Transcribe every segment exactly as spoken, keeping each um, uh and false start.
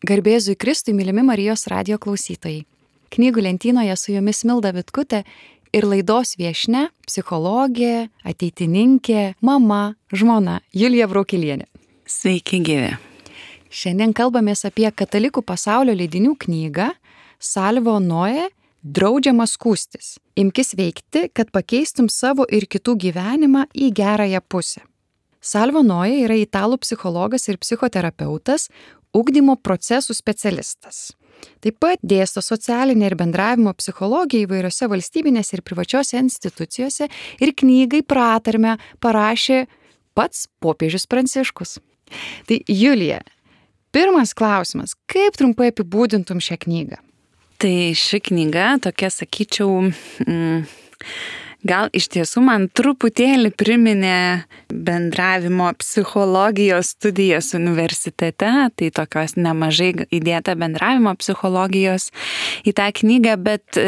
Garbėzui Kristui, mylimi Marijos radijo klausytojai. Knygų lentynoje su jumis Milda Vitkutė ir laidos viešnia, psichologė, ateitininkė, mama, žmona Julija Braukilienė. Sveiki gyvi. Šiandien kalbamės apie katalikų pasaulio leidinių knygą Salvo Noe Draudžiama skųstis. Imkis veikti, kad pakeistum savo ir kitų gyvenimą į gerąją pusę. Salvo Noe yra italų psichologas ir psichoterapeutas, ugdymo procesų specialistas. Taip pat dėsto socialinę ir bendravimo psichologiją įvairiose valstybinėse ir privačiose institucijose ir knygai pratarmę parašė pats popiežius Pranciškus. Tai Julija, pirmas klausimas, kaip trumpai apibūdintum šią knygą? Tai ši knyga tokia, sakyčiau, mm, gal iš tiesų man truputėlį priminė bendravimo psichologijos studijas universitete, tai tokios nemažai įdėta bendravimo psichologijos į tą knygą, bet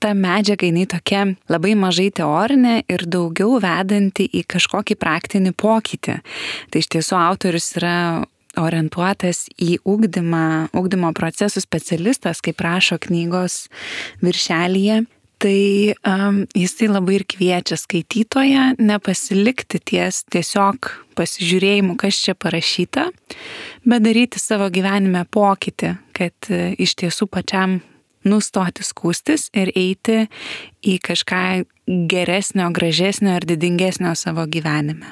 ta medžiaga jinai tokia labai mažai teorinė ir daugiau vedanti į kažkokį praktinį pokytį. Tai iš tiesų autorius yra orientuotas į ugdymą, ugdymo procesų specialistas, kaip rašo knygos viršelyje. Tai um, jisai labai ir kviečia skaitytoją nepasilikti ties tiesiog pasižiūrėjimu, kas čia parašyta, bet daryti savo gyvenime pokytį, kad uh, iš tiesų pačiam nustoti skųstis ir eiti į kažką geresnio, gražesnio ir didingesnio savo gyvenime.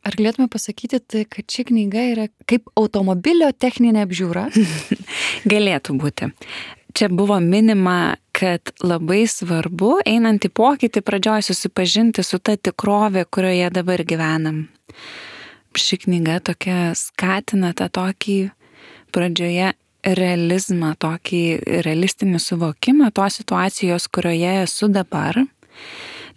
Ar galėtume pasakyti, tai, kad ši knyga yra kaip automobilio techninė apžiūra? Galėtų būti. Čia buvo minima, kad labai svarbu, einant į pokytį, pradžioj susipažinti su ta tikrovė, kurioje dabar gyvenam. Ši knyga tokia skatina tą tokį pradžioje realizmą, tokį realistinį suvokimą tos situacijos, kurioje esu dabar.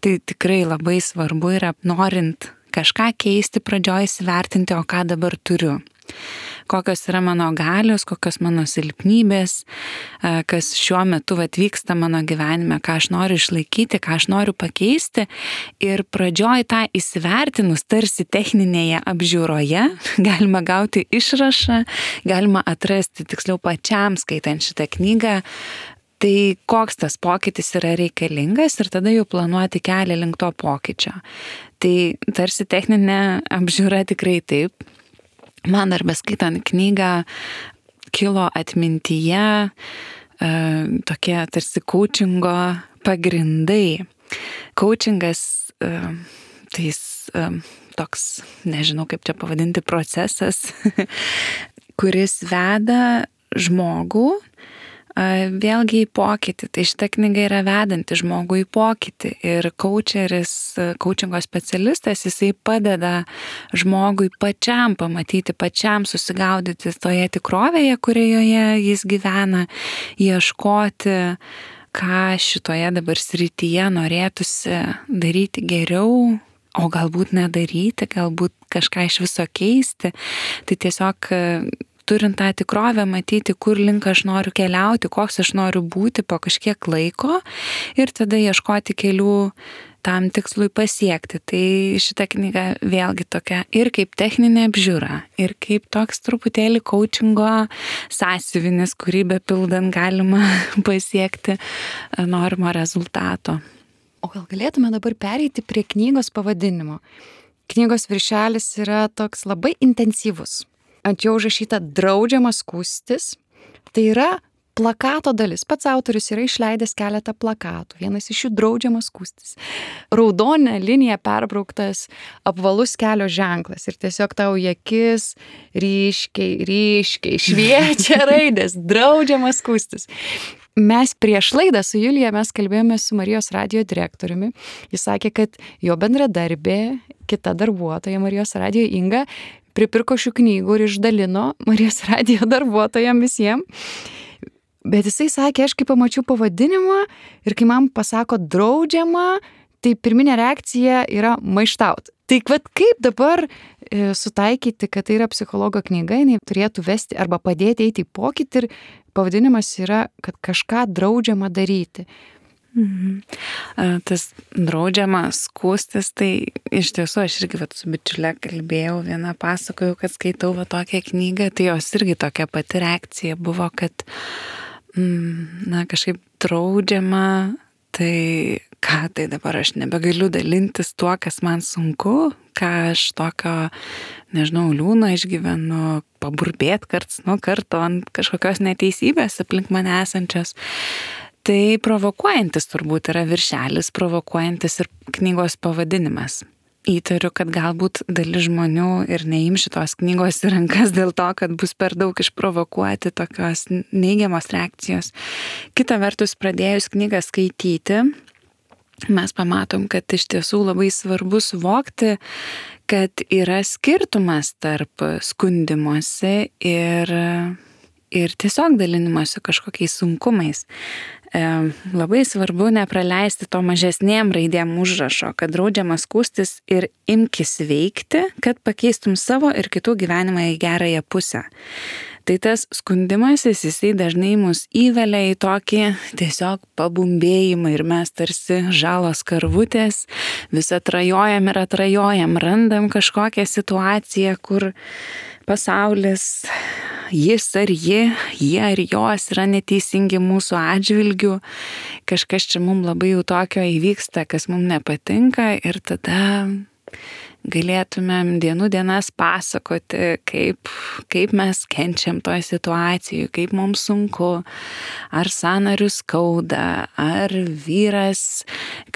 Tai tikrai labai svarbu yra, norint kažką keisti, pradžioj įsivertinti, o ką dabar turiu. Kokios yra mano galios, kokios mano silpnybės, kas šiuo metu atvyksta mano gyvenime, ką aš noriu išlaikyti, ką aš noriu pakeisti. Ir pradžioj tą įsivertinus tarsi techninėje apžiūroje galima gauti išrašą, galima atrasti tiksliau pačiam skaitant šitą knygą, tai koks tas pokytis yra reikalingas ir tada jau planuoti kelią link to pokyčio. Tai tarsi techninė apžiūra tikrai taip. Man dar beskaitant knygą kilo atmintyje e, tokie tarsi coachingo pagrindai. Coachingas e, tai e, toks, nežinau kaip čia pavadinti, procesas, kuris veda žmogų vėlgi į pokytį. Tai šita knyga yra vedanti žmogų į pokytį ir coacheris, coachingo specialistas, jisai padeda žmogui pačiam pamatyti, pačiam susigaudyti toje tikrovėje, kurioje jis gyvena, ieškoti, ką šitoje dabar srityje norėtųsi daryti geriau, o galbūt nedaryti, galbūt kažką iš viso keisti. Tai tiesiog turint tą tikrovę, matyti, kur link aš noriu keliauti, koks aš noriu būti po kažkiek laiko ir tada ieškoti kelių tam tikslui pasiekti. Tai šita knyga vėlgi tokia ir kaip techninė apžiūra, ir kaip toks truputėlį coachingo sąsiuvinis, kurį bepildant galima pasiekti norimo rezultato. O gal galėtume dabar pereiti prie knygos pavadinimo? Knygos viršelis yra toks labai intensyvus. Ant jo užrašyta draudžiama skųstis. Tai yra plakato dalis. Pats autorius yra išleidęs keletą plakatų. Vienas iš jų draudžiama skųstis. Raudona linija perbrauktas apvalus kelio ženklas. Ir tiesiog tau į akis ryškiai, ryškiai šviečia raidės. Draudžiama skųstis. Mes prieš laidą su Julija mes kalbėjome su Marijos radijo direktoriumi. Jis sakė, kad jo bendradarbė, kita darbuotoja Marijos radijo Inga, pripirko šių knygų ir išdalino Marijos radijo darbuotojams visiems. Bet jisai sakė, aš kai pamačiau pavadinimą ir kai man pasako draudžiama, tai pirminė reakcija yra maištaut. Tai vat kaip dabar e, sutaikyti, kad tai yra psichologo knyga, jinai turėtų vesti arba padėti eiti į pokytį ir pavadinimas yra, kad kažką draudžiama daryti. Mhm. Tas draudžiama skūstis, tai iš tiesų aš irgi vat, su bičiule kalbėjau, vieną pasakojau, kad skaitau va tokią knygą, tai jos irgi tokia pati reakcija buvo, kad mm, na, kažkaip draudžiama, tai ką, tai dabar aš nebegaliu dalintis tuo, kas man sunku, ką aš tokio, nežinau, liūno išgyvenu, paburbėt karts nuo karto ant kažkokios neteisybės aplink mane esančios. Tai provokuojantis turbūt yra viršelis, provokuojantis ir knygos pavadinimas. Įtariu, kad galbūt dalis žmonių ir neim šitos knygos į rankas dėl to, kad bus per daug išprovokuoti tokios neigiamos reakcijos. Kita vertus, pradėjus knygą skaityti, mes pamatom, kad iš tiesų labai svarbu suvokti, kad yra skirtumas tarp skundimosi ir, ir tiesiog dalinimosi kažkokiais sunkumais. E, labai svarbu nepraleisti to mažesnėm raidėm užrašo, kad draudžiama skųstis ir imkis veikti, kad pakeistum savo ir kitų gyvenimą į gerąją pusę. Tai tas skundimasis, jisai dažnai mus įvelia į tokį tiesiog pabumbėjimą ir mes tarsi žalos karvutės, vis atrajojam ir atrajojam, randam kažkokią situaciją, kur pasaulis, jis ar ji, jie ar jos yra neteisingi mūsų atžvilgių, kažkas čia mums labai jau tokio įvyksta, kas mums nepatinka ir tada galėtumėm dienų dienas pasakoti, kaip, kaip mes kenčiam toj situacijai, kaip mums sunku, ar sąnarius skauda, ar vyras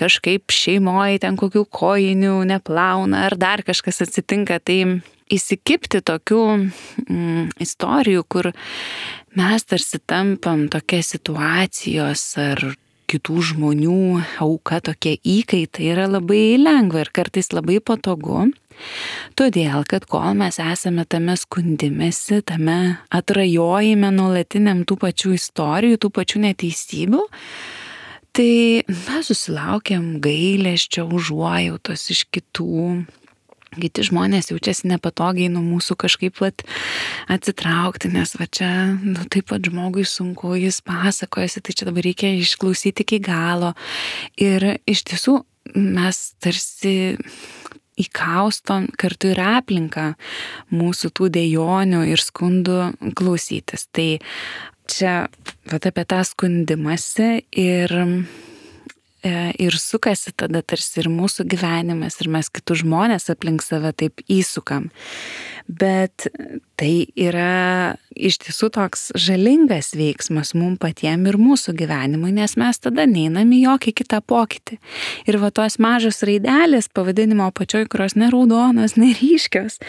kažkaip šeimoje ten kokių kojinių neplauna, ar dar kažkas atsitinka. Tai įsikibti tokių mm, istorijų, kur mes tarsi tampam tokia situacijos ar kitų žmonių auka, tokie įkaitai, yra labai lengva ir kartais labai patogu. Todėl, kad kol mes esame tame skundimėsi, tame atrajojime nuolatiniam tų pačių istorijų, tų pačių neteisybių, tai mes susilaukiam gailesčio, užuojautos iš kitų. Kiti žmonės jaučiasi nepatogiai nuo mūsų kažkaip vat atsitraukti, nes va čia, nu taip pat žmogui sunku, jis pasakojasi, tai čia dabar reikia išklausyti iki galo. Ir iš tiesų mes tarsi įkaustom kartu ir aplinką mūsų tų dejonių ir skundų klausytis. Tai čia vat apie tą skundimąsi ir ir sukasi tada tarsi ir mūsų gyvenimas ir mes kitus žmonės aplink save taip įsukam. Bet tai yra iš tiesų toks žalingas veiksmas mums patiem ir mūsų gyvenimui, nes mes tada neinam į jokį kitą pokytį. Ir va tos mažos raidelės pavadinimo apačioj, kurios ne raudonos, ne ryškios,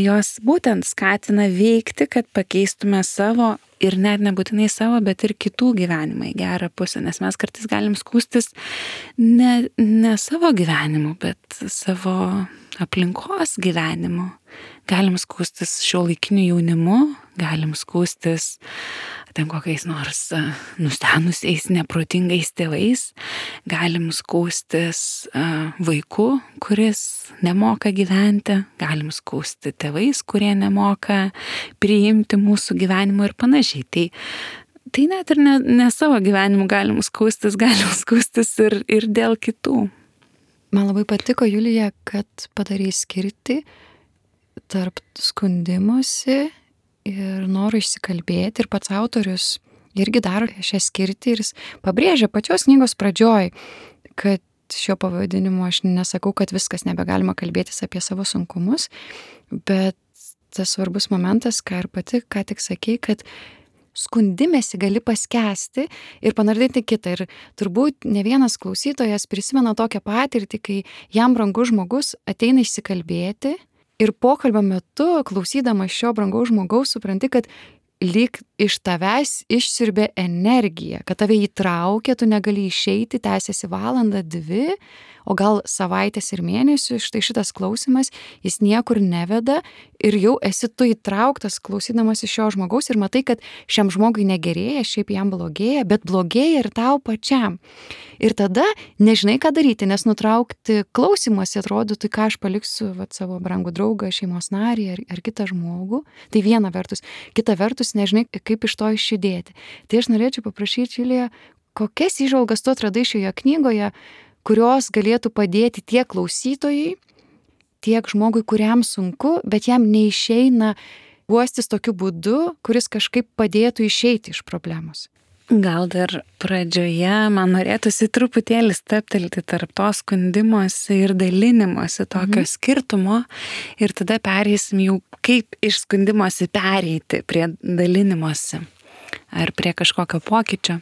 jos būtent skatina veikti, kad pakeistume savo ir net nebūtinai savo, bet ir kitų gyvenimą į gerą pusę, nes mes kartais galim skųstis ne, ne savo gyvenimu, bet savo aplinkos gyvenimu. Galim skųstis šiuolaikiniu jaunimu, galim skųstis ten kokiais nors nustenusiais, neprotingais tėvais, galim skųstis vaiku, kuris nemoka gyventi, galim skųsti tėvais, kurie nemoka priimti mūsų gyvenimo ir panašiai. Tai, tai net ir ne, ne savo gyvenimu galim skųstis, galim skųstis ir, ir dėl kitų. Man labai patiko, Julija, kad padarai skirti tarp skundimosi ir noro išsikalbėti, ir pats autorius irgi daro šią skirtį ir jis pabrėžia pačios knygos pradžioj, kad šio pavadinimu aš nesakau, kad viskas nebegalima kalbėtis apie savo sunkumus, bet tas svarbus momentas, ką ir pati, ką tik sakei, kad skundimėsi gali paskęsti ir panardinti kitą. Ir turbūt ne vienas klausytojas prisimena tokią patirtį, kai jam brangus žmogus ateina išsikalbėti ir pokalbio metu, klausydamas šio brangaus žmogaus, supranti, kad lyg iš tavęs išsiurbė energiją, kad tave įtraukė, tu negali išeiti, tęsiasi valandą, dvi, o gal savaitės ir mėnesių, štai šitas klausimas, jis niekur neveda ir jau esi tu įtrauktas klausydamas iš šio žmogaus ir matai, kad šiam žmogui negerėja, šiaip jam blogėja, bet blogėja ir tau pačiam. Ir tada nežinai, ką daryti, nes nutraukti klausimuose atrodo, tai ką aš paliksiu vat, savo brangų draugą, šeimos narį ar, ar kitą žmogų. Tai viena vertus. Kita vertus, nežinai, kaip iš to išjudėti. Tai aš norėčiau paprašyti, Julija, kokias įžvalgas tu atradai šioje knygoje, kurios galėtų padėti tiek klausytojai, tiek žmogui, kuriam sunku, bet jam neišeina guostis tokiu būdu, kuris kažkaip padėtų išeiti iš problemos. Gal dar pradžioje man norėtųsi truputėlį steptelti tarp to skundimosi ir dalinimosi tokio mhm. skirtumo ir tada pereisim jau kaip iš skundimosi pereiti prie dalinimosi ar prie kažkokio pokyčio.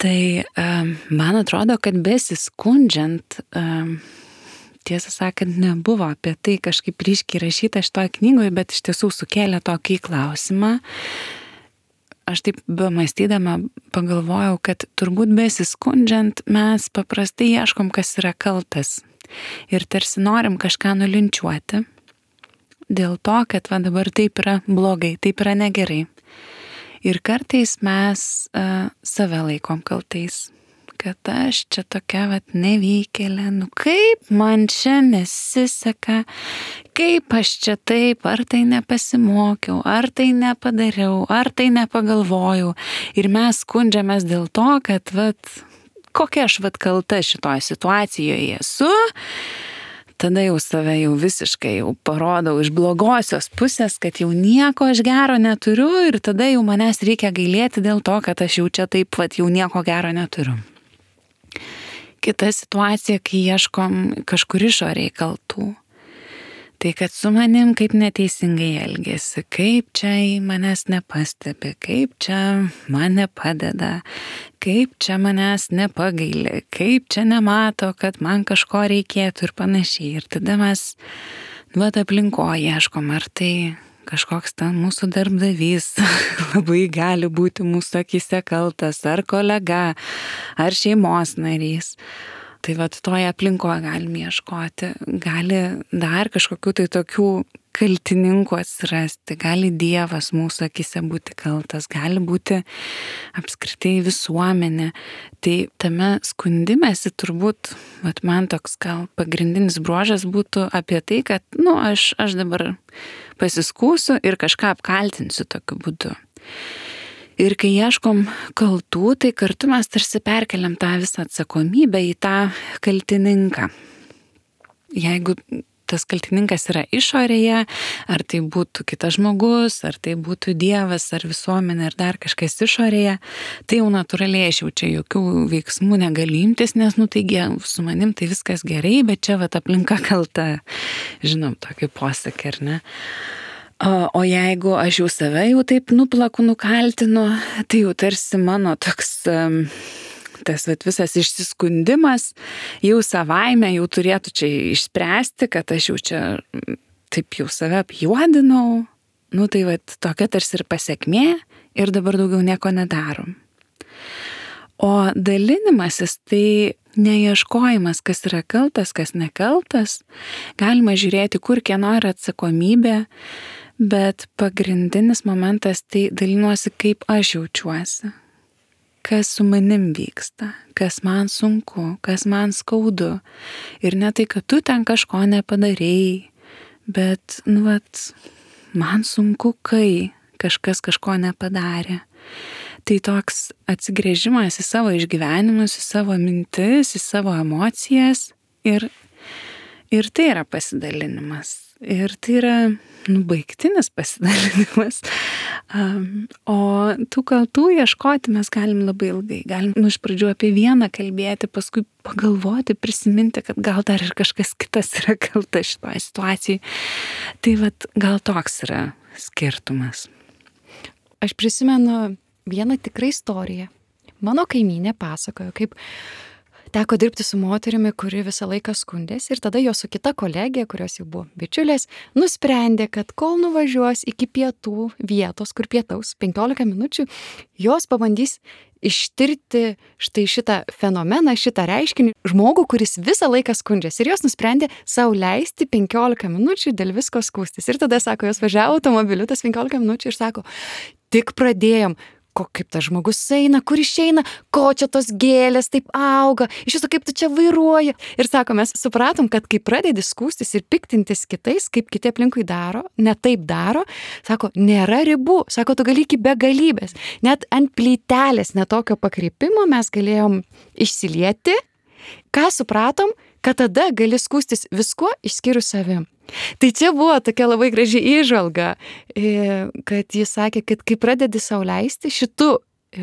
Tai um, man atrodo, kad besiskundžiant, um, tiesą sakant, nebuvo apie tai kažkaip ryškiai rašyta šitoje knygoje, bet iš tiesų sukėlė tokį klausimą. Aš taip bemąstydama pagalvojau, kad turbūt besiskundžiant mes paprastai ieškom, kas yra kaltas. Ir tarsi norim kažką nulinčiuoti. Dėl to, kad va dabar taip yra blogai, taip yra negerai. Ir kartais mes uh, save laikom kaltais. Kad aš čia tokia vat nevykėlė, nu kaip man čia nesiseka, kaip aš čia taip, ar tai nepasimokiau, ar tai nepadariau, ar tai nepagalvojau. Ir mes skundžiamės dėl to, kad vat, kokia aš vat kalta šitoje situacijoje esu, tada jau save jau visiškai jau parodau iš blogosios pusės, kad jau nieko aš gero neturiu ir tada jau manęs reikia gailėti dėl to, kad aš jau čia taip vat jau nieko gero neturiu. Kita situacija, kai ieškom kažkur išoriai kaltų. Tai kad su manim kaip neteisingai elgėsi, kaip čia į manęs nepastebi, kaip čia man nepadeda, kaip čia manęs nepagaili, kaip čia nemato, kad man kažko reikėtų ir panašiai. Ir tada mes, nu, aplinkoje ieškom, ar tai kažkoks ten mūsų darbdavys labai gali būti mūsų akyse kaltas, ar kolega, ar šeimos narys. Tai vat toje aplinkoje galim ieškoti, gali dar kažkokių tai tokių kaltininkų atsirasti, gali Dievas mūsų akyse būti kaltas, gali būti apskritai visuomenė. Tai tame skundimėsi turbūt, vat man toks gal pagrindinis bruožas būtų apie tai, kad, nu, aš, aš dabar pasiskūsiu ir kažką apkaltinsiu tokiu būdu. Ir kai ieškom kaltų, tai kartu mes tarsi perkeliam tą visą atsakomybę į tą kaltininką. Jeigu tas kaltininkas yra išorėje, ar tai būtų kitas žmogus, ar tai būtų Dievas, ar visuomenė, ar dar kažkas išorėje, tai jau natūraliai aš jau čia jokių veiksmų negaliu imtis, nes, nu, taigi su manim tai viskas gerai, bet čia vat aplinka kalta, žinom, tokį posakį, ar ne? O jeigu aš jau save jau taip nuplaku, nukaltinu, tai jau tarsi mano toks, tas vat, visas išsiskundimas jau savaime jau turėtų čia išspręsti, kad aš jau čia taip jau save apjuodinau, nu tai vat, tokia tarsi ir pasiekmė ir dabar daugiau nieko nedarom. O dalinimasis tai neieškojimas, kas yra kaltas, kas nekaltas, galima žiūrėti, kur kieno yra atsakomybė, bet pagrindinis momentas tai dalinuosi, kaip aš jaučiuosi, kas su manim vyksta, kas man sunku, kas man skaudu. Ir ne tai, kad tu ten kažko nepadarei, bet, nu, vat, man sunku, kai kažkas kažko nepadarė. Tai toks atsigręžimas į savo išgyvenimus, į savo mintis, į savo emocijas ir, ir tai yra pasidalinimas. Ir tai yra, nu, baigtinis pasidalinimas. Um, o tų kaltų ieškoti mes galim labai ilgai. Galim, nu, iš pradžių apie vieną kalbėti, paskui pagalvoti, prisiminti, kad gal dar ir kažkas kitas yra kalta šitoje situacijai. Tai vat, gal toks yra skirtumas. Aš prisimenu vieną tikrą istoriją. Mano kaimynė pasakojo, kaip teko dirbti su moterimi, kuri visą laiką skundėsi ir tada jo su kita kolegė, kurios jau buvo bičiulės, nusprendė, kad kol nuvažiuos iki pietų vietos, kur pietaus penkiolika minučių, jos pabandys ištirti štai šitą fenomeną, šitą reiškinį, žmogų, kuris visą laiką skundžiasi. Ir jos nusprendė sau leisti penkiolika minučių dėl visko skūstis. Ir tada, sako, jos važiavo automobiliu tas penkiolika minučių ir sako, tik pradėjom, ko kaip tas žmogus eina, kur išeina, ko čia tos gėlės taip auga, iš viso kaip tu čia vairuoji. Ir sako, mes supratom, kad kai pradedi skūstis ir piktintis kitais, kaip kiti aplinkui daro, ne taip daro, sako, nėra ribų, sako, tu gali iki begalybės. Net ant plytelės netokio pakreipimo mes galėjom išsilieti. Ką supratom, kad tada gali skūstis viskuo išskyrus savim. Tai čia buvo tokia labai graži įžvalga, kad jis sakė, kad kai pradedi sau leisti šitų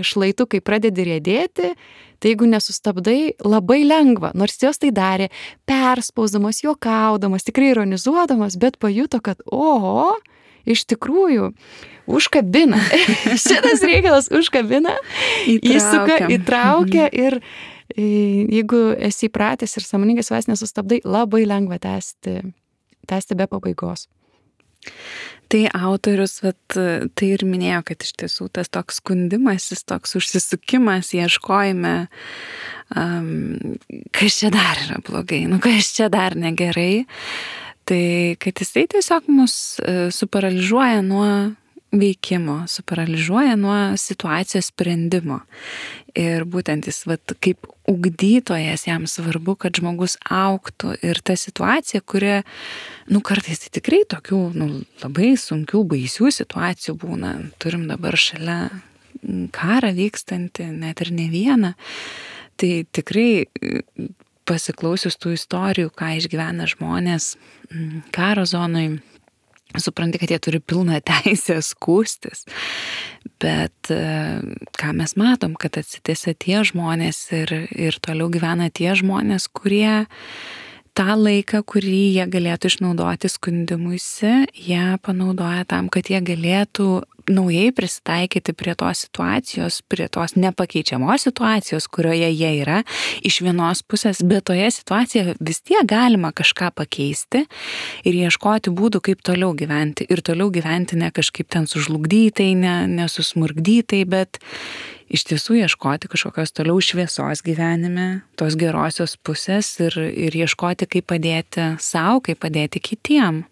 šlaitų, kai pradedi riedėti, tai jeigu nesustabdai, labai lengva, nors jos tai darė, perspausdamas, juokaudamas, tikrai ironizuodamas, bet pajuto, kad oho, iš tikrųjų, užkabina. Šitas reikalas užkabina, įsuka, įtraukia ir jeigu esi įpratęs ir sąmoningai savęs nesustabdai, labai lengva tęsti. tęsti be pabaigos. Tai autorius vat, tai ir minėjo, kad iš tiesų tas toks skundimasis, toks užsisukimas, ieškojime, um, kas čia dar yra blogai, nu kas čia dar negerai, tai kad jisai tiesiog mus uh, suparaližuoja nuo veikimo, suparaližuoja nuo situacijos sprendimo. Ir būtent jis, vat, kaip ugdytojas, jam svarbu, kad žmogus augtų ir ta situacija, kuri, nu, kartais tai tikrai tokių, nu, labai sunkių, baisių situacijų būna. Turim dabar šalia karą vykstantį, net ir ne vieną. Tai tikrai pasiklausius tų istorijų, ką išgyvena žmonės karo zonoj, supranti, kad jie turi pilną teisę skųstis, bet ką mes matom, kad atsitiesia tie žmonės ir, ir toliau gyvena tie žmonės, kurie tą laiką, kurį jie galėtų išnaudoti skundimuisi, jie panaudoja tam, kad jie galėtų naujai prisitaikyti prie tos situacijos, prie tos nepakeičiamos situacijos, kurioje jie yra iš vienos pusės, bet toje situacijoje vis tiek galima kažką pakeisti ir ieškoti būdų, kaip toliau gyventi. Ir toliau gyventi ne kažkaip ten sužlugdytai, ne, nesusmurgdytai, bet iš tiesų ieškoti kažkokios toliau šviesos gyvenime, tos gerosios pusės ir, ir ieškoti, kaip padėti sau, kaip padėti kitiem.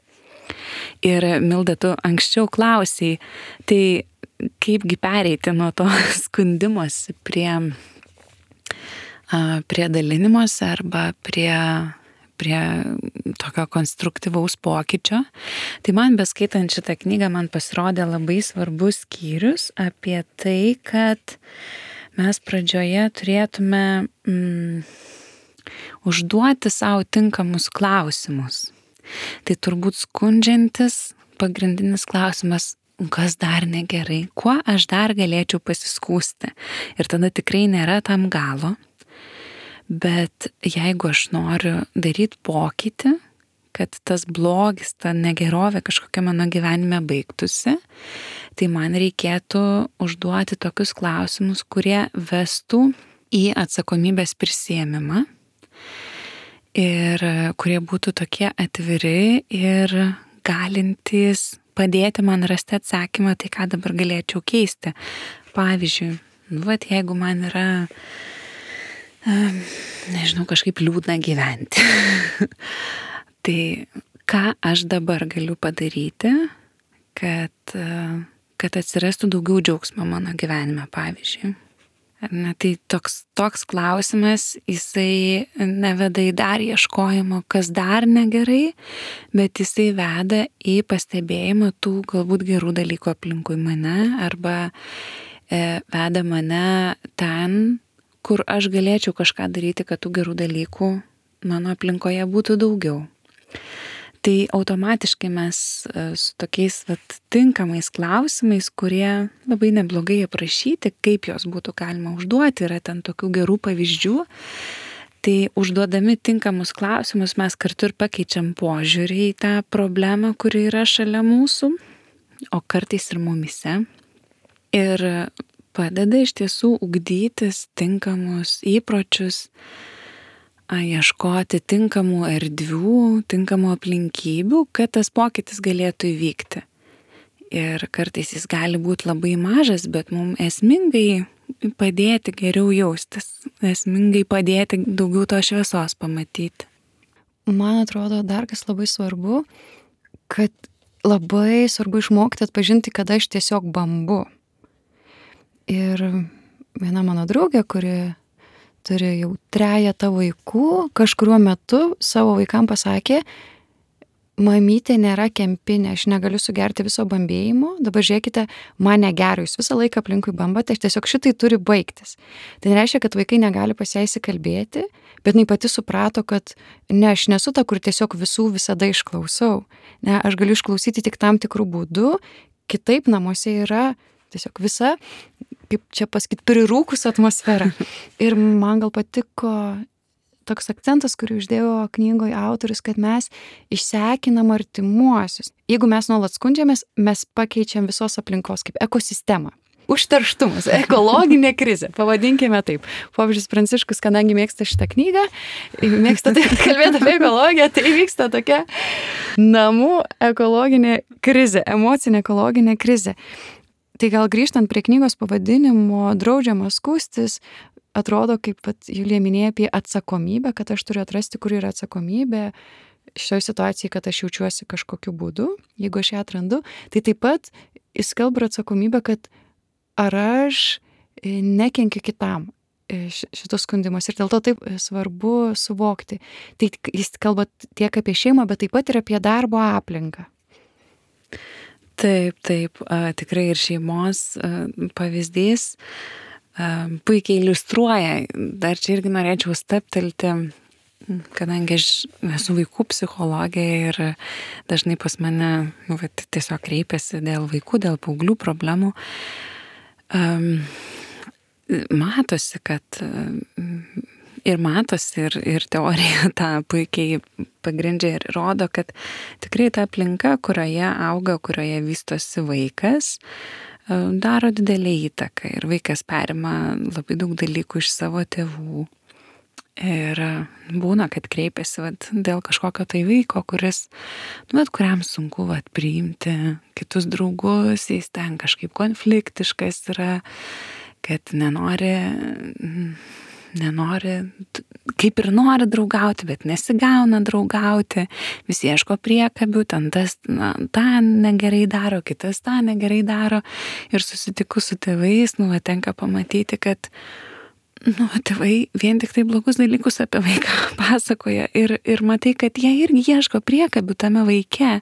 Ir Milda, tu anksčiau klausiai, tai kaipgi pereiti nuo to skundimosi prie, prie dalinimosi arba prie, prie tokio konstruktyvaus pokyčio. Tai man beskaitant šitą knygą, man pasirodė labai svarbus skyrius apie tai, kad mes pradžioje turėtume mm, užduoti savo tinkamus klausimus. Tai turbūt skundžiantis pagrindinis klausimas, kas dar negerai, kuo aš dar galėčiau pasiskųsti. Ir tada tikrai nėra tam galo, bet jeigu aš noriu daryti pokytį, kad tas blogis, ta negerovė kažkokia mano gyvenime baigtųsi, tai man reikėtų užduoti tokius klausimus, kurie vestų į atsakomybės prisiėmimą. Ir kurie būtų tokie atviri ir galintys padėti man rasti atsakymą, tai ką dabar galėčiau keisti. Pavyzdžiui, nu, vat, jeigu man yra, nežinau, kažkaip liūdna gyventi, tai ką aš dabar galiu padaryti, kad, kad atsirastų daugiau džiaugsmo mano gyvenime, pavyzdžiui. Na, tai toks, toks klausimas, jisai neveda į dar ieškojimo, kas dar negerai, bet jisai veda į pastebėjimą tų galbūt gerų dalykų aplinkui mane arba e, veda mane ten, kur aš galėčiau kažką daryti, kad tų gerų dalykų mano aplinkoje būtų daugiau. Tai automatiškai mes su tokiais vat, tinkamais klausimais, kurie labai neblogai aprašyti, kaip jos būtų galima užduoti, yra ten tokių gerų pavyzdžių, tai užduodami tinkamus klausimus mes kartu ir pakeičiam požiūrį į tą problemą, kuri yra šalia mūsų, o kartais ir mumise. Ir padeda iš tiesų ugdytis tinkamus įpročius, ieškoti tinkamų erdvių, tinkamų aplinkybių, kad tas pokytis galėtų įvykti. Ir kartais jis gali būti labai mažas, bet mums esmingai padėti geriau jaustis, esmingai padėti daugiau to šviesos pamatyti. Man atrodo, dar kas labai svarbu, kad labai svarbu išmokti atpažinti, kada aš tiesiog bambu. Ir viena mano draugė, kuri turi jau trejetą vaikų, kažkuriuo metu savo vaikam pasakė, mamytė nėra kempinė, aš negaliu sugerti viso bambėjimo, dabar žiūrėkite, man negera, jūs visą laiką aplinkui bambate, aš tiesiog šitai turi baigtis. Tai nereiškia, kad vaikai negali pas ją įsikalbėti, bet jinai pati suprato, kad ne, aš nesu ta, kur tiesiog visų visada išklausau. Ne, aš galiu išklausyti tik tam tikrų būdų, kitaip namuose yra tiesiog visa, kaip čia pasakyti, prirūkus atmosfera. Ir man gal patiko toks akcentas, kurį uždėjo knygoje autorius, kad mes išsekinam artimuosius. Jeigu mes nuolat skundžiamės, mes pakeičiam visos aplinkos kaip ekosistemą. Užterštumas, ekologinė krizė, pavadinkime taip. Popiežius Pranciškus, kadangi mėgsta šitą knygą, mėgsta taip kalbėti apie ekologiją, tai vyksta tokia namų ekologinė krizė, emocinė ekologinė krizė. Tai gal grįžtant prie knygos pavadinimo Draudžiama skųstis, atrodo, kaip pat Julija minėjo apie atsakomybę, kad aš turiu atrasti, kur yra atsakomybė šioje situacijoje, kad aš jaučiuosi kažkokiu būdu, jeigu aš ją atrandu, tai taip pat jis kalba atsakomybę, kad ar aš nekenkiu kitam šitus skundimus ir dėl to taip svarbu suvokti. Tai jis kalba tiek apie šeimą, bet taip pat ir apie darbo aplinką. Taip, taip, tikrai ir šeimos pavyzdys puikiai iliustruoja. Dar čia irgi norėčiau staptelti, kadangi aš esu vaikų psichologė ir dažnai pas mane nu, va, tiesiog kreipiasi dėl vaikų, dėl paauglių problemų. Um, matosi, kad ir matosi, ir, ir teorija tą puikiai pagrindžia ir rodo, kad tikrai ta aplinka, kurioje auga, kurioje vystosi vaikas, daro didelį įtaką ir vaikas perima labai daug dalykų iš savo tėvų. Ir būna, kad kreipiasi vat, dėl kažkokio tai vaiko, kuris, nu, vat, kuriam sunku vat, priimti kitus draugus, jis ten kažkaip konfliktiškas yra, kad nenori, nenori, kaip ir nori draugauti, bet nesigauna draugauti, visi ieško priekabių, ten tas na, tą negerai daro, kitas tą negerai daro. Ir susitikus su tėvais, nu, va, tenka pamatyti, kad nu, tėvai vien tik tai blogus dalykus apie vaiką pasakoja ir, ir matai, kad jie irgi ieško priekabių tame vaike.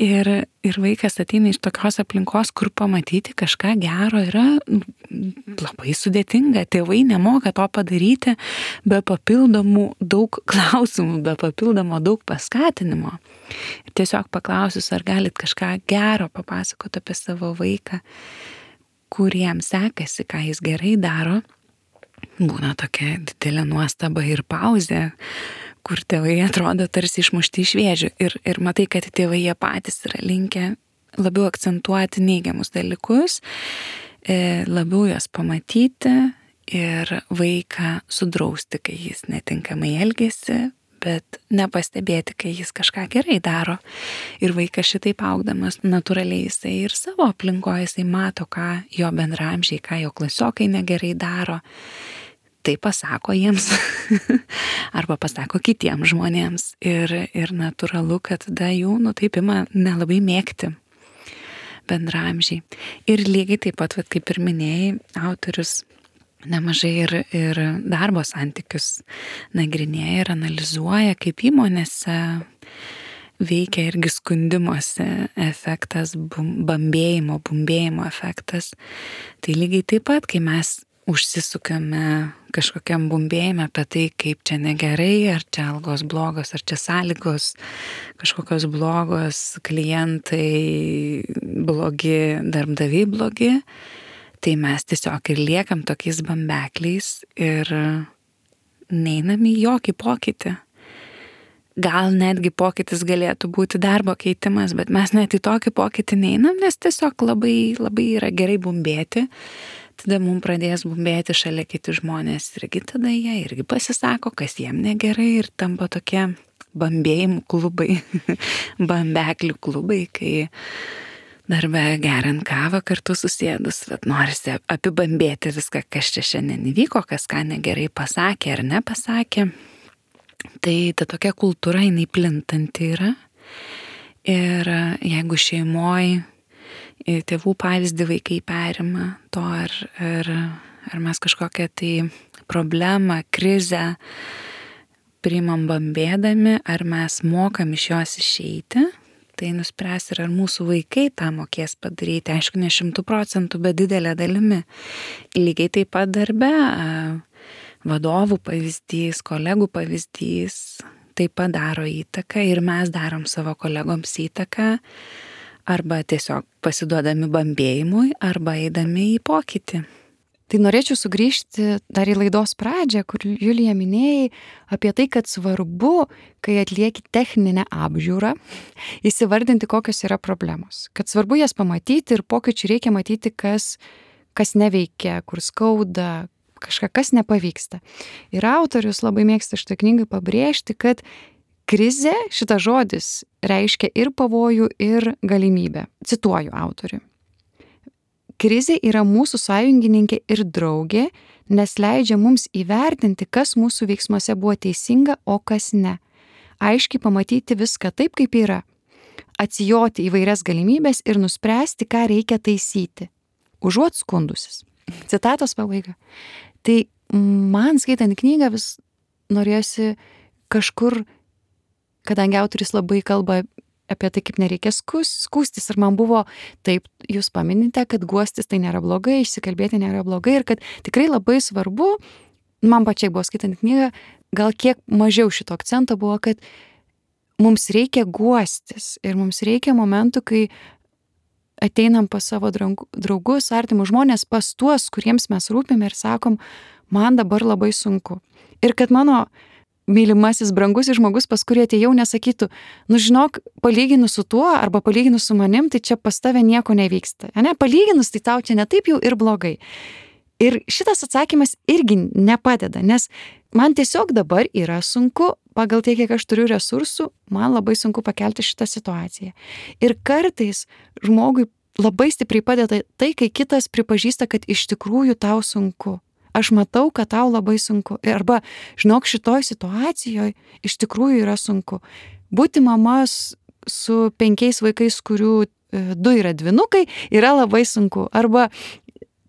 Ir, ir vaikas ateina iš tokios aplinkos, kur pamatyti kažką gero yra labai sudėtinga. Tėvai nemoka to padaryti be papildomų daug klausimų, be papildomo daug paskatinimo. Ir tiesiog paklausius, ar galit kažką gero papasakoti apie savo vaiką, kuriem sekasi, ką jis gerai daro, būna tokia didelė nuostaba ir pauzė, kur tėvai atrodo tarsi išmušti iš vėžių. Ir, ir matai, kad tėvai jie patys yra linkę labiau akcentuoti neigiamus dalykus, labiau juos pamatyti ir vaiką sudrausti, kai jis netinkamai elgiasi, bet nepastebėti, kai jis kažką gerai daro. Ir vaikas šitaip augdamas natūraliai jisai ir savo aplinkoje jisai mato, ką jo bendraamžiai, ką jo klasiokai negerai daro. Tai pasako jiems arba pasako kitiems žmonėms. Ir, ir natūralu, kad tada jų, nu taip ima nelabai mėgti bendraamžiai. Ir lygiai taip pat, vat, kaip ir minėjai, autorius nemažai ir, ir darbo santykius nagrinėja ir analizuoja, kaip įmonėse veikia irgi skundimosi efektas, bambėjimo, bumbėjimo efektas. Tai lygiai taip pat, kai mes užsisukame kažkokiam bumbėjime apie tai, kaip čia negerai, ar čia algos blogos, ar čia sąlygos kažkokios blogos, klientai blogi, darbdaviai blogi, tai mes tiesiog ir liekam tokiais bambekliais ir neinam į jokį pokytį. Gal netgi pokytis galėtų būti darbo keitimas, bet mes net į tokį pokytį neinam, nes tiesiog labai, labai yra gerai bumbėti. Tada mums pradės bumbėti šalia kiti žmonės irgi tada jie irgi pasisako, kas jiem negerai ir tampa tokie bambėjimų klubai, bambeklių klubai, kai darbe geriant kavą kartu susėdus, bet norisi apibambėti viską, kas čia šiandien įvyko, kas ką negerai pasakė ar nepasakė. Tai ta tokia kultūra, jinai plintanti yra. Ir jeigu šeimoje tėvų pavyzdį vaikai perima to, ar, ar, ar mes kažkokią tai problemą, krizę priimam bambėdami, ar mes mokam iš jos išeiti. Tai nuspręs ir ar mūsų vaikai tą mokės padaryti, aišku, ne šimtų procentų, bet didelė dalimi. Lygiai taip pat darbe, vadovų pavyzdys, kolegų pavyzdys taip pat daro įtaką ir mes darom savo kolegoms įtaką, arba tiesiog pasiduodami bambėjimui, arba eidami į pokytį. Tai norėčiau sugrįžti dar į laidos pradžią, kur Julija minėjai apie tai, kad svarbu, kai atlieki techninę apžiūrą, įsivardinti, kokios yra problemos. Kad svarbu jas pamatyti ir pokyčių reikia matyti, kas, kas neveikia, kur skauda, kažką, kas nepavyksta. Ir autorius labai mėgsta šitą knygą pabrėžti, kad krizė, šitas žodis, reiškia ir pavojų, ir galimybę. Cituoju autorių. Krizė yra mūsų sąjungininkė ir draugė, nes leidžia mums įvertinti, kas mūsų veiksmuose buvo teisinga, o kas ne. Aiškiai pamatyti viską taip, kaip yra. Atsijoti įvairias galimybės ir nuspręsti, ką reikia taisyti. Užuot skundusis. Citatos pabaiga. Tai man skaitant knygą vis norėjosi kažkur, kadangi autoris labai kalba apie tai, kaip nereikia skūstis. Ir man buvo, taip, jūs paminite, kad guostis tai nėra blogai, išsikalbėti nėra blogai ir kad tikrai labai svarbu, man pačiai buvo skaitant knygą, gal kiek mažiau šito akcento buvo, kad mums reikia guostis ir mums reikia momentų, kai ateinam pas savo draugus, artimus žmonės, pas tuos, kuriems mes rūpime ir sakom, man dabar labai sunku. Ir kad mano mylimasis, brangusis žmogus, pas kurį atėjau, nesakytų, nu žinok, palyginus su tuo arba palyginus su manim, tai čia pas tave nieko nevyksta. Ne? Palyginus, tai tau čia ne taip jau ir blogai. Ir šitas atsakymas irgi nepadeda, nes man tiesiog dabar yra sunku, pagal tai, kiek aš turiu resursų, man labai sunku pakelti šitą situaciją. Ir kartais žmogui labai stipriai padeda tai, kai kitas pripažįsta, kad iš tikrųjų tau sunku. Aš matau, kad tau labai sunku. Arba, žinok, šitoj situacijoje iš tikrųjų yra sunku. Būti mama su penkiais vaikais, kurių du yra dvynukai, yra labai sunku. Arba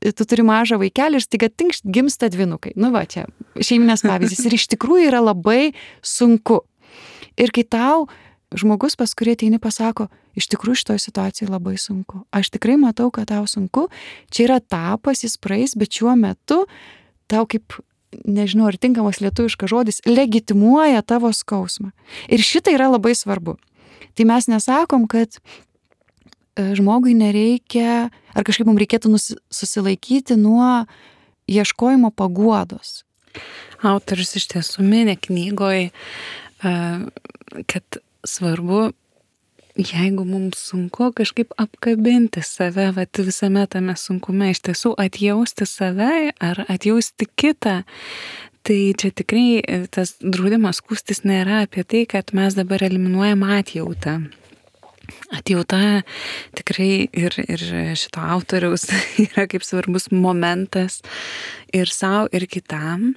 tu turi mažą vaikelį ir staiga tinkšt gimsta dvynukai. Nu va, čia šeiminės pavyzdys. Ir iš tikrųjų yra labai sunku. Ir kai tau žmogus, pas kurį ateini, pasako, iš tikrųjų šitoj situacijai labai sunku. Aš tikrai matau, kad tau sunku. Čia yra etapas, jis praeis, bet šiuo metu tau kaip, nežinau, ar tinkamas lietuviškas žodis, legitimuoja tavo skausmą. Ir šitai yra labai svarbu. Tai mes nesakom, kad žmogui nereikia, ar kažkaip mums reikėtų susilaikyti nuo ieškojimo paguodos. Autorius iš tiesų mini knygoj, kad svarbu, jeigu mums sunku kažkaip apkabinti save, vat visame tame sunkume, iš tiesų atjausti save ar atjausti kitą, tai čia tikrai tas draudimas skųstis nėra apie tai, kad mes dabar eliminuojam atjautą. Atjauta tikrai ir, ir šito autoriaus yra kaip svarbus momentas ir savo, ir kitam.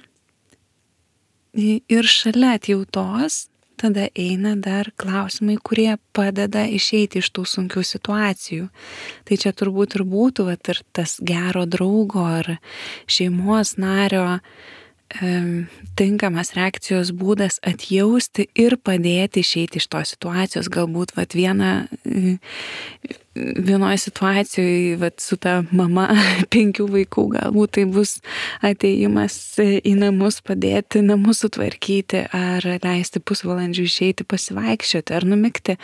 Ir šalia atjautos tada eina dar klausimai, kurie padeda išeiti iš tų sunkių situacijų. Tai čia turbūt ir būtų vat, ir tas gero draugo ar šeimos nario e, tinkamas reakcijos būdas atjausti ir padėti išeiti iš tos situacijos. Galbūt vat, viena, vienoje situacijoje vat, su ta mama penkių vaikų, galbūt tai bus atėjimas į namus, padėti namus sutvarkyti ar leisti pusvalandžių išeiti pasivaikščioti ar numigti.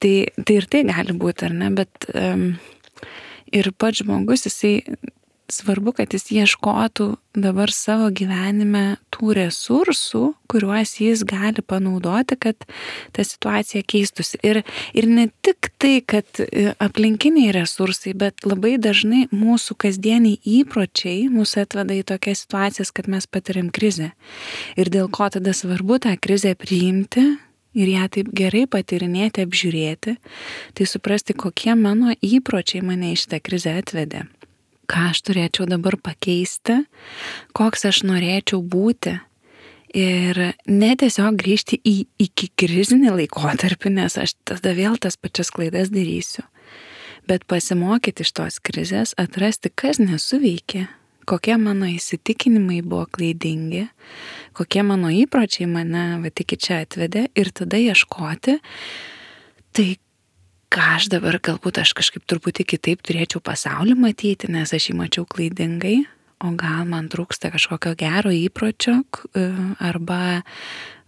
Tai, tai ir tai gali būti, ar ne, bet um, ir pats žmogus, jisai svarbu, kad jis ieškotų dabar savo gyvenime tų resursų, kuriuos jis gali panaudoti, kad ta situacija keistųsi. Ir, ir ne tik tai, kad aplinkiniai resursai, bet labai dažnai mūsų kasdieniai įpročiai mūsų atveda į tokias situacijas, kad mes patiriam krizę. Ir dėl ko tada svarbu tą krizę priimti ir ją taip gerai patyrinėti, apžiūrėti, tai suprasti, kokie mano įpročiai mane į šitą krizę atvedė. Ką aš turėčiau dabar pakeisti, koks aš norėčiau būti ir ne tiesiog grįžti į iki krizinį laikotarpį, nes aš tada vėl tas pačias klaidas darysiu, Bet pasimokyti iš tos krizės, atrasti, kas nesuveikė, kokie mano įsitikinimai buvo klaidingi, kokie mano įpročiai mane va iki čia atvedė ir tada ieškoti, tai ką aš dabar galbūt aš kažkaip truputį kitaip turėčiau pasaulį matyti, nes aš jį mačiau klaidingai, o gal man trūksta kažkokio gero įpročio arba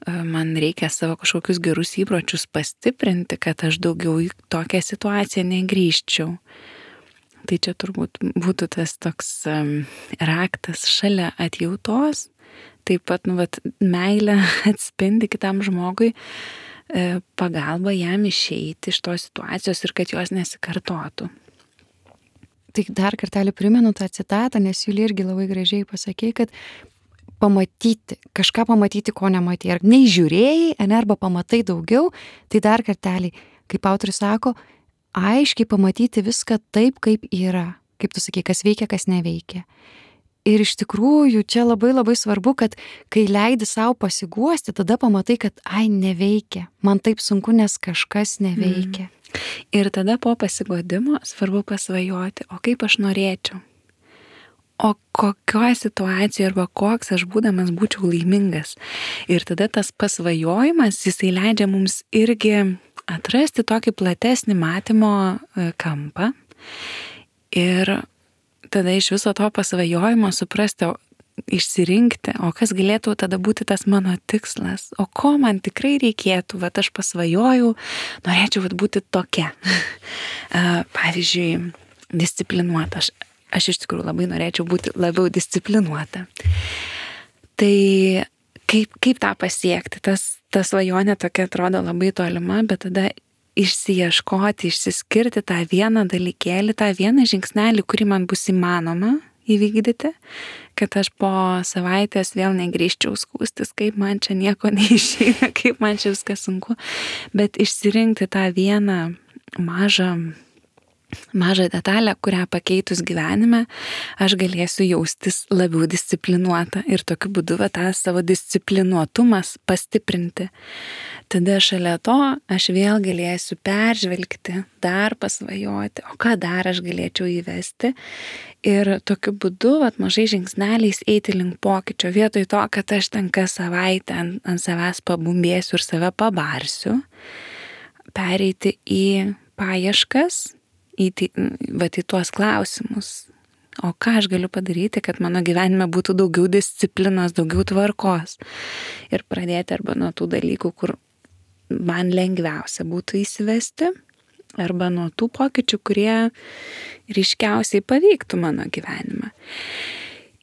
man reikia savo kažkokius gerus įpročius pastiprinti, kad aš daugiau į tokią situaciją negrįžčiau. Tai čia turbūt būtų tas toks um, raktas šalia atjautos, taip pat nu, vat, meilė atspindi kitam žmogui, e, pagalba jam išeiti iš tos situacijos ir kad jos nesikartotų. Tai dar kartelį primenu tą citatą, nes Julija irgi labai gražiai pasakė, kad pamatyti, kažką pamatyti, ko nematė. Ar neįžiūrėjai, arba pamatai daugiau, tai dar kartelį, kaip autorius sako, aiškiai pamatyti viską taip, kaip yra. Kaip tu sakai, kas veikia, kas neveikia. Ir iš tikrųjų čia labai labai svarbu, kad kai leidi savo pasiguosti, tada pamatai, kad ai, neveikia. Man taip sunku, nes kažkas neveikia. Mm. Ir tada po pasiguodimo svarbu pasvajoti, o kaip aš norėčiau. O kokioje situacijoje arba koks aš būdamas būčiau laimingas. Ir tada tas pasvajojimas, jisai leidžia mums irgi atrasti tokį platesnį matymo kampą ir tada iš viso to pasvajojimo suprasti, išsirinkti, o kas galėtų tada būti tas mano tikslas, o ko man tikrai reikėtų, vat aš pasvajojau, norėčiau vat būti tokia. Pavyzdžiui, disciplinuota. Aš, aš iš tikrųjų labai norėčiau būti labiau disciplinuota. Tai kaip, kaip tą pasiekti? Tas, ta svajonė tokia atrodo labai tolima, bet tada išsiieškoti, išsiskirti tą vieną dalykėlį, tą vieną žingsnelį, kurį man bus įmanoma įvykdyti, kad aš po savaitės vėl negrįžčiau skūstis, kaip man čia nieko neišeina, kaip man čia viskas sunku, bet išsirinkti tą vieną mažą mažą detalę, kurią pakeitus gyvenime, aš galėsiu jaustis labiau disciplinuota ir tokiu būdu va, tą savo disciplinuotumas pastiprinti. Tada šalia to aš vėl galėsiu peržvelgti, dar pasvajoti, o ką dar aš galėčiau įvesti ir tokiu būdu va, mažai žingsneliais eiti link pokyčio, vietoj to, kad aš ten kas savaitę ant, ant savęs pabumbėsiu ir save pabarsiu, pereiti į paieškas, į, va, į tuos klausimus. O ką aš galiu padaryti, kad mano gyvenime būtų daugiau disciplinos, daugiau tvarkos. Ir pradėti arba nuo tų dalykų, kur man lengviausia būtų įsivesti, arba nuo tų pokyčių, kurie ryškiausiai paveiktų mano gyvenimą.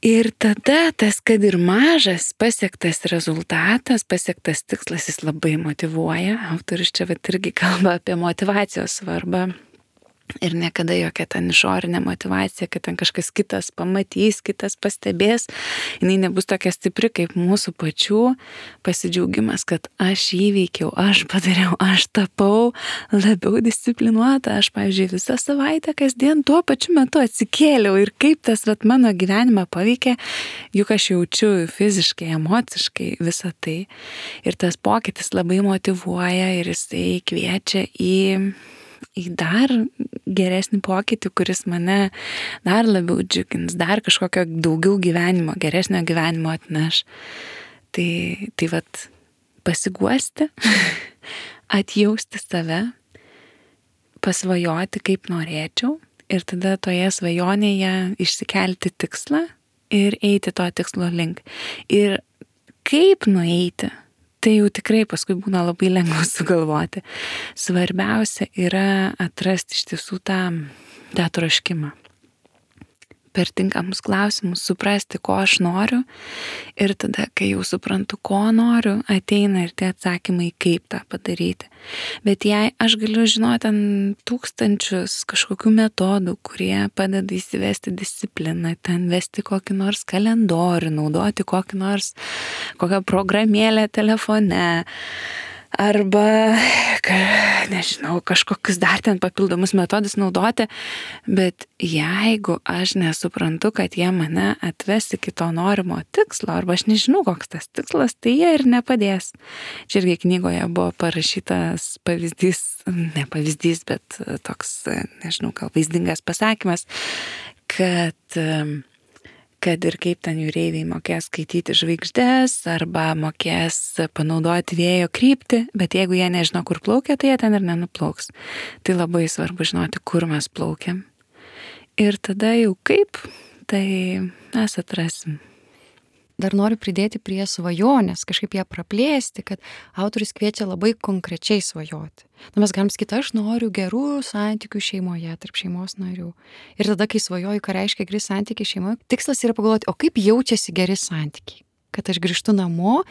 Ir tada tas, kad ir mažas pasiektas rezultatas, pasiektas tikslas, jis labai motyvuoja. Autorius čia vat irgi kalba apie motyvacijos svarbą. Ir niekada jokia ten išorinė motyvacija, kad ten kažkas kitas pamatys, kitas pastebės, jinai nebus tokia stipri kaip mūsų pačių pasidžiaugimas, kad aš įveikiau, aš padariau, aš tapau labiau disciplinuota, aš, pavyzdžiui, visą savaitę kasdien tuo pačiu metu atsikėliau ir kaip tas vat, mano gyvenimą paveikė, juk aš jaučiu fiziškai, emociškai visą tai. Ir tas pokytis labai motyvuoja ir jisai kviečia į į dar geresnį pokytį, kuris mane dar labiau džiugins, dar kažkokio daugiau gyvenimo, geresnio gyvenimo atneš. Tai, tai vat, pasiguosti, atjausti save, pasvajoti, kaip norėčiau ir tada toje svajonėje išsikelti tikslą ir eiti to tikslo link. Ir kaip nueiti? Tai jau tikrai paskui būna labai lengva sugalvoti. Svarbiausia yra atrasti iš tiesų tą, tą troškimą. Per tinkamus klausimus suprasti, ko aš noriu ir tada, kai jau suprantu, ko noriu, ateina ir tie atsakymai, kaip tą padaryti. Bet jei aš galiu žinoti ten tūkstančius kažkokių metodų, kurie padeda įsivesti discipliną, ten vesti kokį nors kalendorių, naudoti kokį nors, kokią programėlę telefone, arba, nežinau, kažkokius dar ten papildomus metodus naudoti, bet jeigu aš nesuprantu, kad jie mane atves iki to norimo tikslo, arba aš nežinau, koks tas tikslas, tai jie ir nepadės. Čia irgi knygoje buvo parašytas pavyzdys, ne pavyzdys, bet toks, nežinau, gal vaizdingas pasakymas, kad kad ir kaip ten jūreiviai mokės skaityti žvaigždės arba mokės panaudoti vėjo kryptį, bet jeigu jie nežino, kur plaukia, tai jie ten ir nenuplauks. Tai labai svarbu žinoti, kur mes plaukiam. Ir tada jau kaip, tai mes atrasim. Dar noriu pridėti prie svajonės, kažkaip ją praplėsti, kad autorius kviečia labai konkrečiai svajoti. Na, mes galim sakyti, aš noriu gerų santykių šeimoje, tarp šeimos narių. Ir tada, kai svajoju, ką reiškia geri santykiai šeimoje, tikslas yra pagalvoti, o kaip jaučiasi geri santykiai. Kad aš grįžtu namo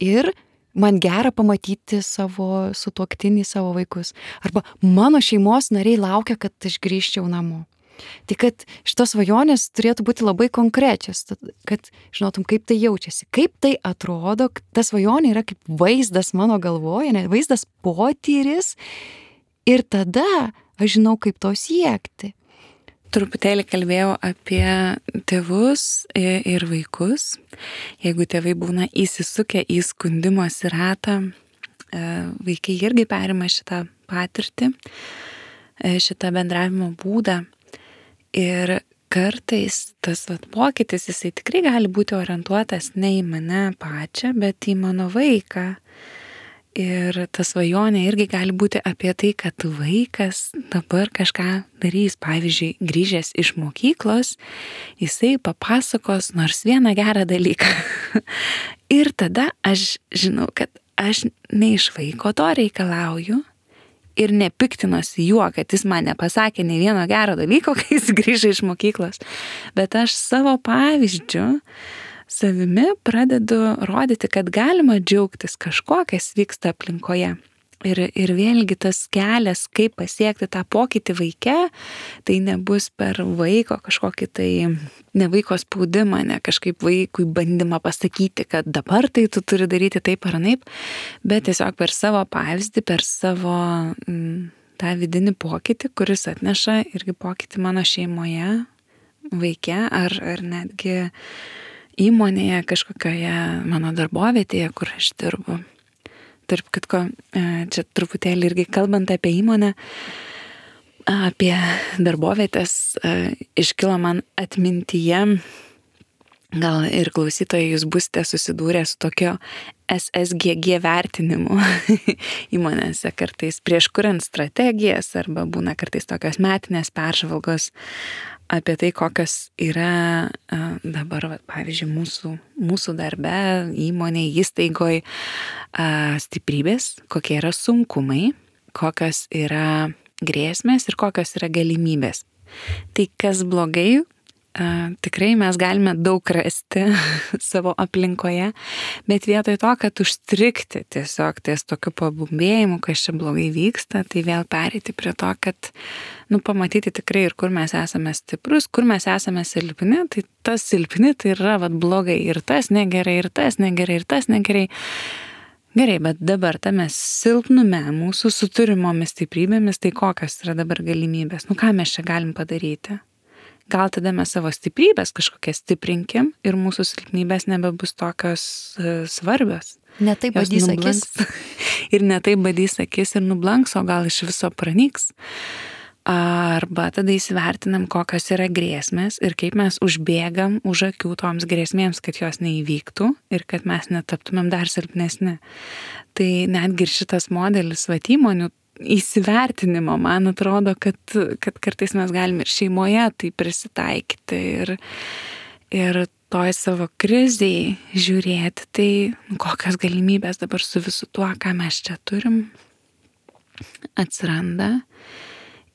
ir man gera pamatyti savo sutuoktinį, savo vaikus. Arba mano šeimos nariai laukia, kad aš grįžčiau namo. Tai kad šitos svajonės turėtų būti labai konkrečios, kad žinotum, kaip tai jaučiasi, kaip tai atrodo, ta svajonė yra kaip vaizdas mano galvoje, ne, vaizdas potyris ir tada aš žinau, kaip to siekti. Truputėlį kalbėjau apie tėvus ir vaikus. Jeigu tėvai būna įsisukę į skundimosi ratą, vaikai irgi perima šitą patirtį, šitą bendravimo būdą. Ir kartais tas vat, pokytis, jisai tikrai gali būti orientuotas ne į mane pačią, bet į mano vaiką. Ir ta svajonė irgi gali būti apie tai, kad vaikas dabar kažką darys. Pavyzdžiui, grįžęs iš mokyklos, jisai papasakos nors vieną gerą dalyką. Ir tada aš žinau, kad aš ne iš vaiko to reikalauju, ir nepiktinosi juo, kad jis man nepasakė nei vieno gero dalyko, kai jis grįžo iš mokyklos. Bet aš savo pavyzdžiu, savimi pradedu rodyti, kad galima džiaugtis kažkuo, kas vyksta aplinkoje. Ir, ir vėlgi tas kelias, kaip pasiekti tą pokytį vaike, tai nebus per vaiko kažkokį tai, ne vaiko spaudimą, ne kažkaip vaikui bandymą pasakyti, kad dabar tai tu turi daryti taip ar anaip, bet tiesiog per savo pavyzdį, per savo m, tą vidinį pokytį, kuris atneša irgi pokytį mano šeimoje, vaike ar, ar netgi įmonėje kažkokioje mano darbovietėje, kur aš dirbu. Tarp kitko, čia truputėlį irgi kalbant apie įmonę, apie darbovietės, iškilo man atmintyje, gal ir klausytojai jūs būsite susidūrę su tokio S S G G vertinimu įmonėse, kartais prieš kuriant strategijas, arba būna kartais tokios metinės peržvalgos apie tai, kokios yra dabar, pavyzdžiui, mūsų, mūsų darbe, įmonėje, įstaigoje stiprybės, kokie yra sunkumai, kokios yra grėsmės ir kokios yra galimybės. Tai kas blogai, tikrai mes galime daug rasti savo aplinkoje, bet vietoj to, kad užstrikti tiesiog ties tokiu pabumbėjimu, kas čia blogai vyksta, tai vėl pereiti prie to, kad nu, pamatyti tikrai ir kur mes esame stiprus, kur mes esame silpni, tai tas silpni tai yra vat, blogai ir tas negerai, ir tas negerai, ir tas negerai. Gerai, bet dabar tame silpnume mūsų su turimomis stiprybėmis, tai kokios yra dabar galimybės, nu ką mes čia galim padaryti? Gal tada mes savo stiprybės kažkokią stiprinkim ir mūsų silpnybės nebebus tokios uh, svarbios. Ne taip badys akis. Ir ne taip badys akis ir nublanks, o gal iš viso pranyks. Arba tada įsivertinam, kokios yra grėsmės ir kaip mes užbėgam už akių toms grėsmėms, kad jos neįvyktų ir kad mes netaptumėm dar silpnesni. Tai netgi ir šitas modelis vat įmonių įsivertinimo, man atrodo, kad, kad kartais mes galim ir šeimoje tai prisitaikyti ir, ir toj savo krizėj žiūrėti, tai kokios galimybės dabar su visu tuo, ką mes čia turim, atsiranda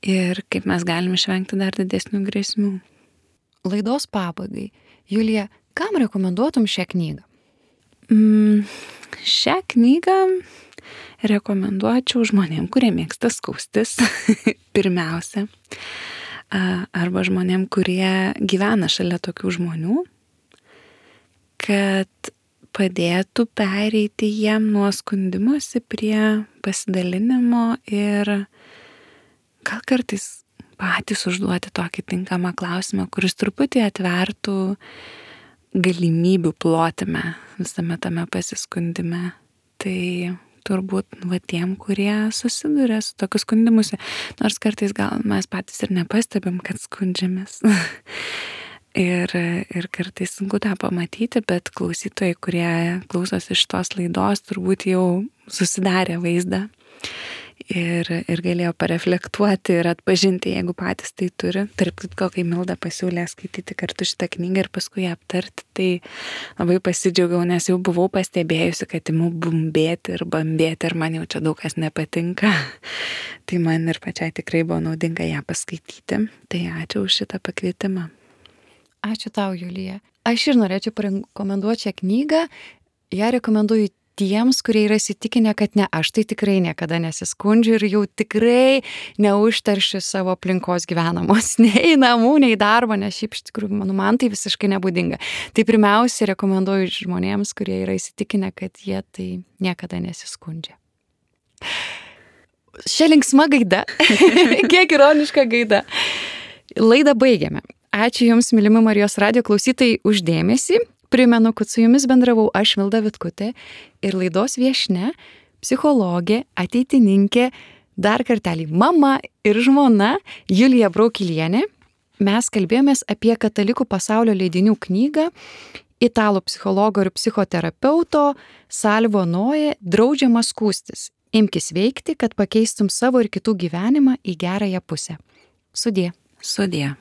ir kaip mes galim išvengti dar didesnių grėsmių. Laidos pabaigai. Julija, kam rekomenduotum šią knygą? Mm, šią knygą rekomenduočiau žmonėm, kurie mėgsta skaustis, pirmiausia, arba žmonėm, kurie gyvena šalia tokių žmonių, kad padėtų pereiti jiem nuo skundimosi prie pasidalinimo ir gal kartais patys užduoti tokį tinkamą klausimą, kuris truputį atvertų galimybių plotime visame tame pasiskundime. Tai turbūt va tiem, kurie susiduria su tokiu skundimusi, nors kartais gal mes patys ir nepastebim, kad skundžiamės. ir, ir kartais sunku tą pamatyti, bet klausytojai, kurie klausosi iš tos laidos, turbūt jau susidarė vaizdą. Ir, ir galėjo pareflektuoti ir atpažinti, jeigu patys tai turi. Tarp kitko, kai Milda pasiūlė skaityti kartu šitą knygą ir paskui ją aptarti, tai labai pasidžiaugiau, nes jau buvau pastebėjusi, kad imu bumbėti ir bambėti ir man jau čia daug kas nepatinka. Tai man ir pačiai tikrai buvo naudinga ją paskaityti. Tai ačiū už šitą pakvietimą. Ačiū tau, Julija. Aš ir norėčiau parekomenduoti šią knygą. Ją rekomenduoju tiems, kurie yra įsitikinę, kad ne, aš tai tikrai niekada nesiskundžiu ir jau tikrai neužteršiu savo aplinkos gyvenamos, nei namų, nei darbo, nes šiaip iš tikrųjų, manu, man tai visiškai nebūdinga. Tai pirmiausia, rekomenduoju žmonėms, kurie yra įsitikinę, kad jie tai niekada nesiskundžia. Šia linksma gaida, kiek ironiška gaida. Laidą baigiame. Ačiū Jums, mylimi Marijos radijo klausytojai, už dėmesį. Primenu, kad su Jumis bendravau aš, Milda Vitkutė, ir laidos viešnia, psichologė, ateitininkė, dar kartelį mama ir žmona Julija Braukilienė. Mes kalbėjomės apie Katalikų pasaulio leidinių knygą italų psichologo ir psichoterapeuto Salvo Noe Draudžiama skųstis. Imkis veikti, kad pakeistum savo ir kitų gyvenimą į gerąją pusę. Sudie. Sudie.